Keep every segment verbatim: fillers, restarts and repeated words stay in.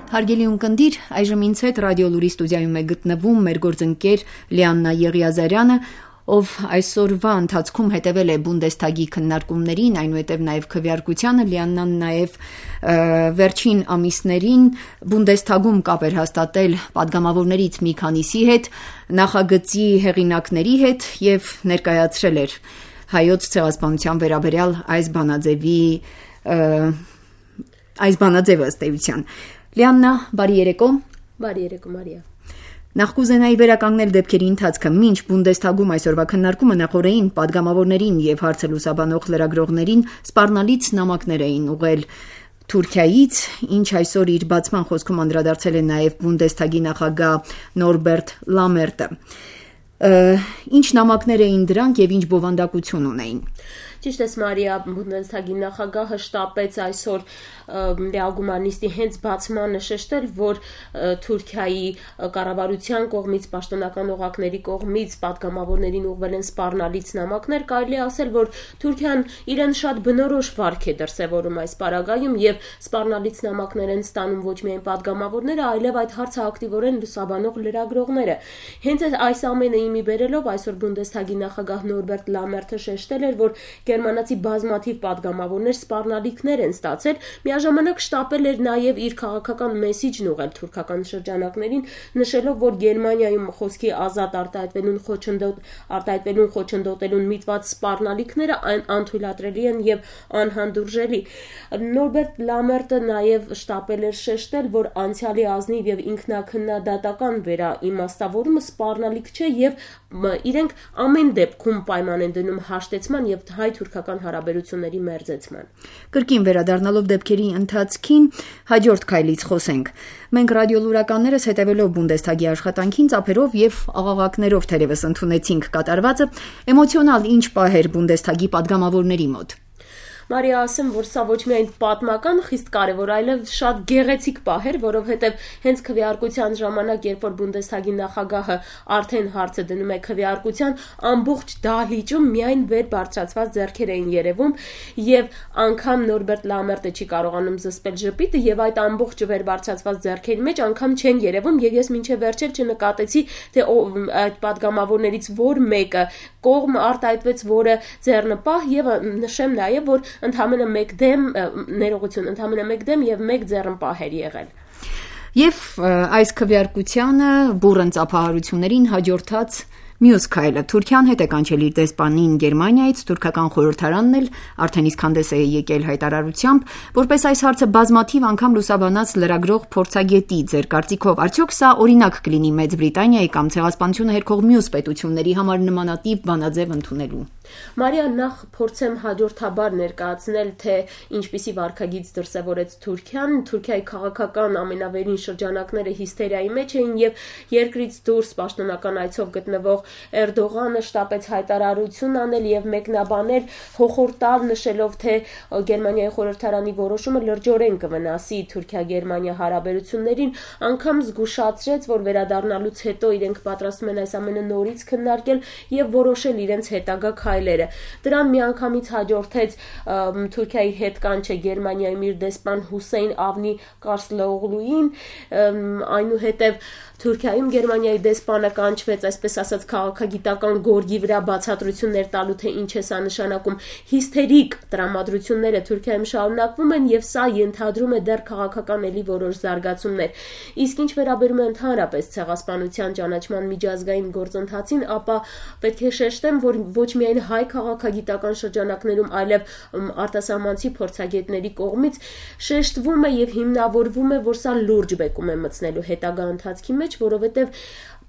Հարգելի ունկնդիր, այժմ ինձ հետ ռադիո լուրի ստուդիայում է գտնվում մեր գործընկեր Լիաննա Եղիազարյանը, ով այսօրվա ընթացքում հետևել է Բունդեսթագի քննարկումներին, այնուհետև նաև քվեարկությանը։ Լիաննան նաև վերջին ամիսներին Բունդեսթագում կապ էր հաստատել պատգամավորներից մի քանիսի հետ, նախագծի հեղինակների հետ եւ ներկայացրել էր հայոց ցեղասպանության վերաբերյալ այս բանաձևի այս բանաձևը ըստ էության։ Լիաննա, բարի երեկո։ Բարի երեկո, Մարիա։ Նախ կուզենայի վերականգնել դեպքերի ընթացքը։ Մինչ Բունդեսթագում այսօրվա քննարկումը նախորդին պատգամավորներին եւ հարցը լուսաբանող լրագրողներին սպառնալից նամակներ էին ուղղել Թուրքիայից, ինչ այսօր իր բացման խոսքում անդրադարձել է նաև Բունդեսթագի նախագահ Նորբերտ Լամերտը։ Ինչ նամակներ էին դրանք եւ ինչ բովանդակություն ունեին։ Ճիշտ է, Մարիա, Բունդեսթագի նախագահը շտապեց այսօր լեագումանիստի հենց բացմանը շեշտել, որ Թուրքիայի կառավարության կողմից, պաշտոնական օղակների կողմից պատգամավորներին ուղղվել են սպառնալից նամակներ, կարելի է ասել, որ Թուրքիան իրեն շատ բնորոշ վարք է դրսևորում այս պարագայում եւ սպառնալից նամակներ են ստանում ոչ միայն պատգամավորները, այլև այդ հարցը ակտիվորեն լուսաբանող լրագրողները։ Հենց այս ամենը իմի բերելով այսօր Բունդեսթագի նախագահ Նորբերտ Լամերտը շեշտել էր, որ գերմանացի բազմաթիվ պատգամավորներ սպառնալիքներ են ստացել, միաժամանակ շտապել էր նաև իր քաղաքական մեսիջն ուղղել թուրքական շրջանակներին, նշելով, որ Գերմանիայում խոսքի ազատ արտահայտվելուն խոչընդոտ արտահայտվելուն խոչընդոտելուն միտված սպառնալիքները անթույլատրելի են եւ անհանդուրժելի։ Նորբերտ Լամերտը նաև շտապել էր շեշտել, որ անցյալի ազնիվ եւ ինքնակնդատական վերաիմաստավորումը սպառնալիք չէ եւ իրենք ամեն դեպքում պայման են դնում հաշտեցման եւ հայ-թուրքական հարաբերությունների մերձեցման։ Կրկին վերադառնալով դեպքերի ընթացքին, հաջորդ քայլից խոսենք։ Մենք ռադիոլուրականներս հետևելով Բունդեսթագի աշխատանքին ծափերով եւ աղաղակներով թերևս ընդունեցինք կատարվածը, էմոցիոնալ ինչ պահ էր Բունդեսթագի պատգամավորների մոտ։ Մարիա, ասեմ, որ սա ոչ միայն պատմական խիստ կարևոր, այլև շատ գեղեցիկ պահ էր, որովհետև հենց քվեարկության ժամանակ, երբ որ Բունդեսթագի նախագահը արդեն հարցը դնում է քվեարկության, ամբողջ դահլիճում միայն վեր բարձրացված ձեռքեր էին երևում եւ անգամ Նորբերտ Լամերտը չի կարողանում զսպել ժպիտը եւ այդ ամբողջ վեր բարձրացված ձեռքերի մեջ անգամ չեն երևում եւ ես մինչեւ վերջեր չնկատեցի, թե այդ պատգամավորներից որ մեկը կողմ արտահայտվեց, որը ձեռնպահ եւ նշեմ նաեւ, որ ընդհանրապես մեկ դեմ ներողություն, ընդհանրապես մեկ դեմ եւ մեկ ձեռնպահ էր եղել։ Եվ այս քվեարկությանը բուռն ծափահարություններին հաջորդած մյուս քայլը Թուրքիան հետ է կանչել իր դեսպանին Գերմանիայից, թուրքական խորհրդարանն էլ արդեն իսկ հանդես է եկել հայտարարությամբ, որպես այս հարցը բազմաթիվ անգամ լուսաբանած լրագրող փորձագետի ձեր կարծիքով արդյոք սա օրինակ կլինի Մեծ Բրիտանիայի կամ ցեղասպանությունը հերքող մյուս պետությունների համար նմանատիպ բանաձև ընդունելու։ Մարիա, նախ փորձեմ հաջորդաբար ներկայացնել, թե ինչպիսի վարքագիծ դրսևորեց Թուրքիան։ Թուրքիայի քաղաքական ամենավերին շրջանակները հիստերիայի մեջ էին եւ երկրից դուրս պաշտոնական այցով գտնվող Էրդողանը շտապեց հայտարարություն անել եւ մեկնաբանել հոխորտալ, նշելով, թե Գերմանիայի խորհրդարանի որոշումը լրջորեն կվնասի Թուրքիա-Գերմանիա հարաբերություններին, անգամ զգուշացրեց, որ վերադառնալուց հետո իրենք պատրաստում են այս ամենը նորից քննարկել եւ որոշել իրենց հետագա քայլերը։ Դրան միանգամից հաջորդեց Թուրքիայի հետ կանչը Գերմանիայում իր դեսպան Հուսեյն Ավնի Կարսլօղլուին, այնուհետև Թուրքիայում Գերմանիայի դեսպանը կանչվեց, այսպես ասած, քաղաքագիտական գորգի վրա բացատրություններ տալու, թե ինչ է սա նշանակում։ Հիստերիկ տրամադրությունները Թուրքիայում շարունակվում են եւ սա ենթադրում է դեռ քաղաքական էլի որոշ զարգացումներ։ Իսկ ինչ վերաբերում է ընդհանրապես ցեղասպանության ճանաչման միջազգային գործընթացին, ապա պետք է շեշտեմ, որ ոչ միայն հայ քաղաքագիտական շրջանակներում, այլև արտասահմանցի փորձագետների կողմից շեշտվում է եւ հիմնավորվում է, որ սա լուրջ բեկում է մտցնելու հետագա ընթացքի մեջ, որովհետեւ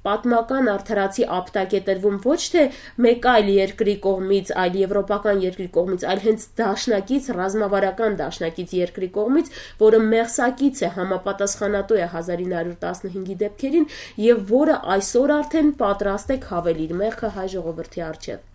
պատմական արդարացի ապտակ է տրվում ոչ թե մեկ այլ երկրի կողմից, այլ եվրոպական երկրի կողմից, այլ հենց դաշնակից, ռազմավարական դաշնակից երկրի կողմից, որը մեղսակից է, համապատասխանատու է հազար ինը հարյուր տասնհինգի դեպքերին եւ որը այսօր արդեն պատրաստ է քավել իր մեղքը հայ ժողովրդի առջեւ։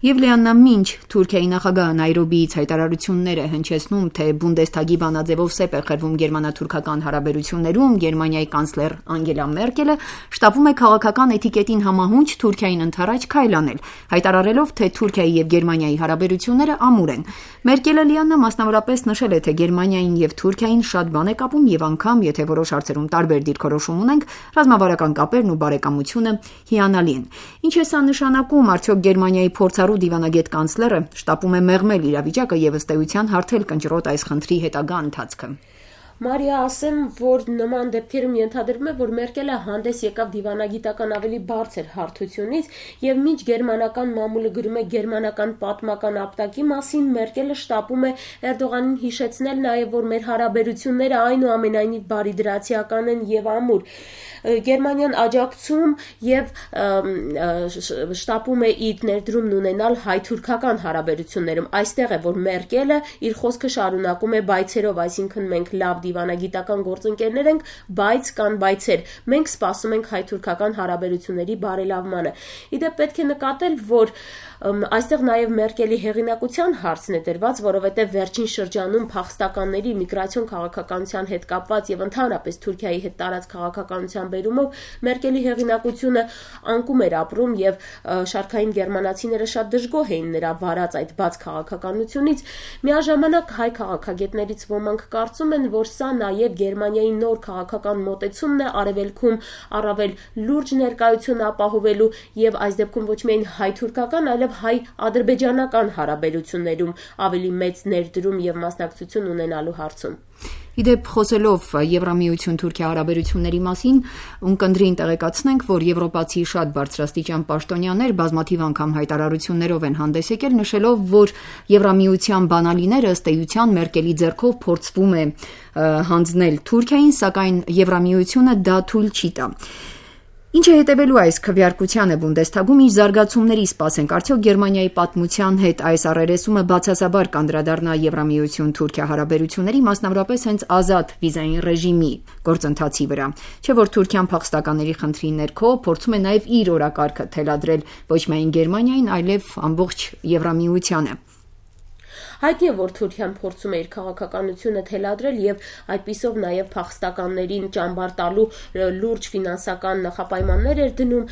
Եվ Լիաննա, մինչ Թուրքիայի նախագահը Նայրոբիից հայտարարություններ է հնչեցնում, թե Բունդեսթագի բանաձևով սեպ է խրվում գերմանա-թուրքական հարաբերություններում, Գերմանիայի կանցլեր Անգելա Մերկելը շտապում է քաղաքական էթիկետին համահունչ Թուրքիային ընդառաջ քայլ անել, հայտարարելով, թե Թուրքիայի եւ Գերմանիայի հարաբերությունները ամուր են։ Մերկելը, Լիաննա, մասնավորապես նշել է, թե Գերմանիային եւ Թուրքիային շատ բան է կապում եւ անգամ, եթե որոշ հարցերում տարբեր դիրքորոշում ունենք, ռազմավարական կապերն ու բարեկամությունը հիանալի են։ Ինչ է սա նշանակում, արդյոք Գերմանիայի փորձառու դիվանագետ կանցլերը շտապում է մեղմել իրավիճակը եւ ըստ էության հարթել կնճռոտ այս խնդրի հետագա ընթացքը։ Մարիա, ասեմ, որ նման դեպքերում ենթադրվում է, որ Մերկելը հանդես եկավ դիվանագիտական ավելի բարձր հարթությունից եւ մինչ գերմանական մամուլը գրում է գերմանական պատմական ապտակի մասին, Մերկելը շտապում է Էրդողանին հիշեցնել նաեւ, որ մեր հարաբերությունները այնուամենայնիվ բարիդրացիական են եւ ամուր։ Գերմանիան աջակցում եւ շտապում է իր ներդրումն ունենալ հայ-թուրքական հարաբերություններում։ Այստեղ է, որ Մերկելը իր խոսքը շարունակում է բայցերով, այսինքն մենք լավ դիվանագիտական գործընկերներ ենք, բայց կան բայցեր։ Մենք սպասում ենք հայ-թուրքական հարաբերությունների բարելավմանը։ Իդեպ պետք է նկատել, որ այստեղ նաև Մերկելի հեղինակության հարցն է դրված, որովհետև վերջին շրջանում փախստականների միգրացիոն քաղաքականության հետ կապված եւ ընդհանրապես Թուրքիայի հետ տարած քաղաքականության բերումով Մերկելի հեղինակությունը անկում էր ապրում եւ շարքային գերմանացիները շատ դժգոհ էին նրա վարած այդ բաց քաղաքականությունից։ Միաժամանակ հայ քաղաքագետներից ոմանք կարծում են, որ սա նաև Գերմանիայի նոր քաղաքական մոտեցումն է արևելքում առավել լուրջ ներկայություն ապահովելու եւ այս դեպքում ոչ միայն հայ-թուրքական, այլև հայ-ադրբեջանական հարաբերություններում ավելի մեծ ներդրում եւ մասնակցություն ունենալու հարցում։ Իդեպ խոսելով Եվրամիություն-Թուրքիա հարաբերությունների մասին, ունկնդրին տեղեկացնենք, որ եվրոպացի շատ բարձրաստիճան պաշտոնյաներ բազմաթիվ անգամ հայտարարություններով են հանդես եկել, նշելով, որ Եվրամիության բանալիները ըստ էության Մերկելի ձեռքով փորձվում է հանձնել Թուրքիային, սակայն Եվրամիությունը դա թույլ չի տա։ Ինչ է հետևելու այս քվեարկությանը Բունդեսթագում, ինչ զարգացումների սպասենք, արդյոք Գերմանիայի պատմության հետ այս առերեսումը բացասաբար կանդրադառնա Եվրամիություն-Թուրքիա հարաբերությունների, մասնավորապես հենց ազատ վիզային ռեժիմի գործընթացի վրա, չէ՞ որ Թուրքիան փախստականների խնդրի ներքո փորձում է նաև իր օրակարգը թելադրել ոչ միայն Գերմանիային, այլև ամբողջ Եվրամիությանը։ Հայտնի է, որ Թուրքիան փորձում է իր քաղաքականությունը թելադրել եւ այդպիսով նաեւ փախստականներին ճամբար տալու լուրջ ֆինանսական նախապայմաններ էր դնում,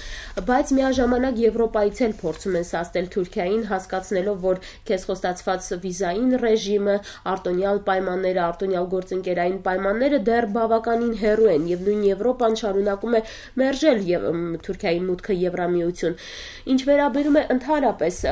բայց միաժամանակ Եվրոպայից էլ փորձում են սաստել Թուրքիային, հասկացնելով, որ քեզ խոստացված վիզային ռեժիմը, արտոնյալ պայմանները, արտոնյալ գործընկերային պայմանները դեռ բավականին հեռու են եւ նույն Եվրոպան շարունակում է մերժել եւ Թուրքիայի մուտքը Եվրամիություն։ Ինչ վերաբերում է ընդհանրապես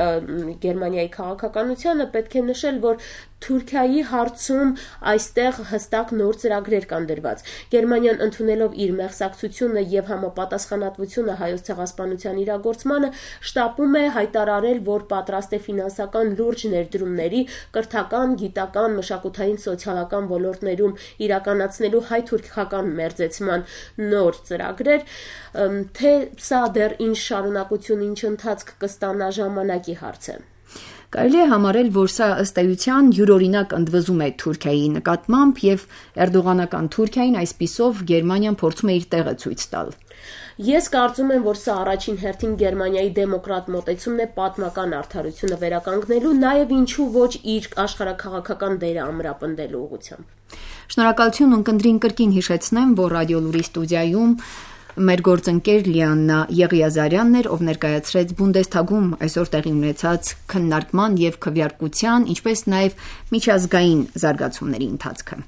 Գերմանիայի քաղաքականությանը, պետք է նշել, որ Թուրքիայի հարցում այստեղ հստակ նոր ծրագրեր կան դրված։ Գերմանիան ընդունելով իր մեղսակցությունը եւ համապատասխանատվությունը հայոց ցեղասպանության իրագործմանը, շտապում է հայտարարել, որ պատրաստ է ֆինանսական լուրջ ներդրումների կրթական, գիտական, մշակութային, սոցիալական ոլորտներում իրականացնելու հայ-թուրքական մերձեցման նոր ծրագրեր, թե սա դեռ ինչ շարունակություն, ինչ ընթացք կստանա ժամանակի հարց է։ Կարելի է համարել, որ սա ըստ էության յուրօրինակ ընդվզում է Թուրքիայի նկատմամբ եւ էրդողանական Թուրքիային այսպիսով Գերմանիան փորձում է իր տեղը ցույց տալ։ Ես կարծում եմ, որ սա առաջին հերթին Գերմանիայի դեմոկրատ մոտեցումն է պատմական արդարությունը վերականգնելու, նաեւ ինչու ոչ իր աշխարհաքաղաքական դերը ամրապնդելու ուղղությամբ։ Շնորհակալություն, ունկնդրին կրկին հիշեցնեմ, որ Ռադիո Լուրի ստուդիայում մեր գործընկեր Լիաննա Եղիազարյանն էր, ով ներկայացրեց Բունդեսթագում այսօր տեղի ունեցած քննարկման եւ քվեարկության, ինչպես նաեւ միջազգային զարգացումների ընթացքը։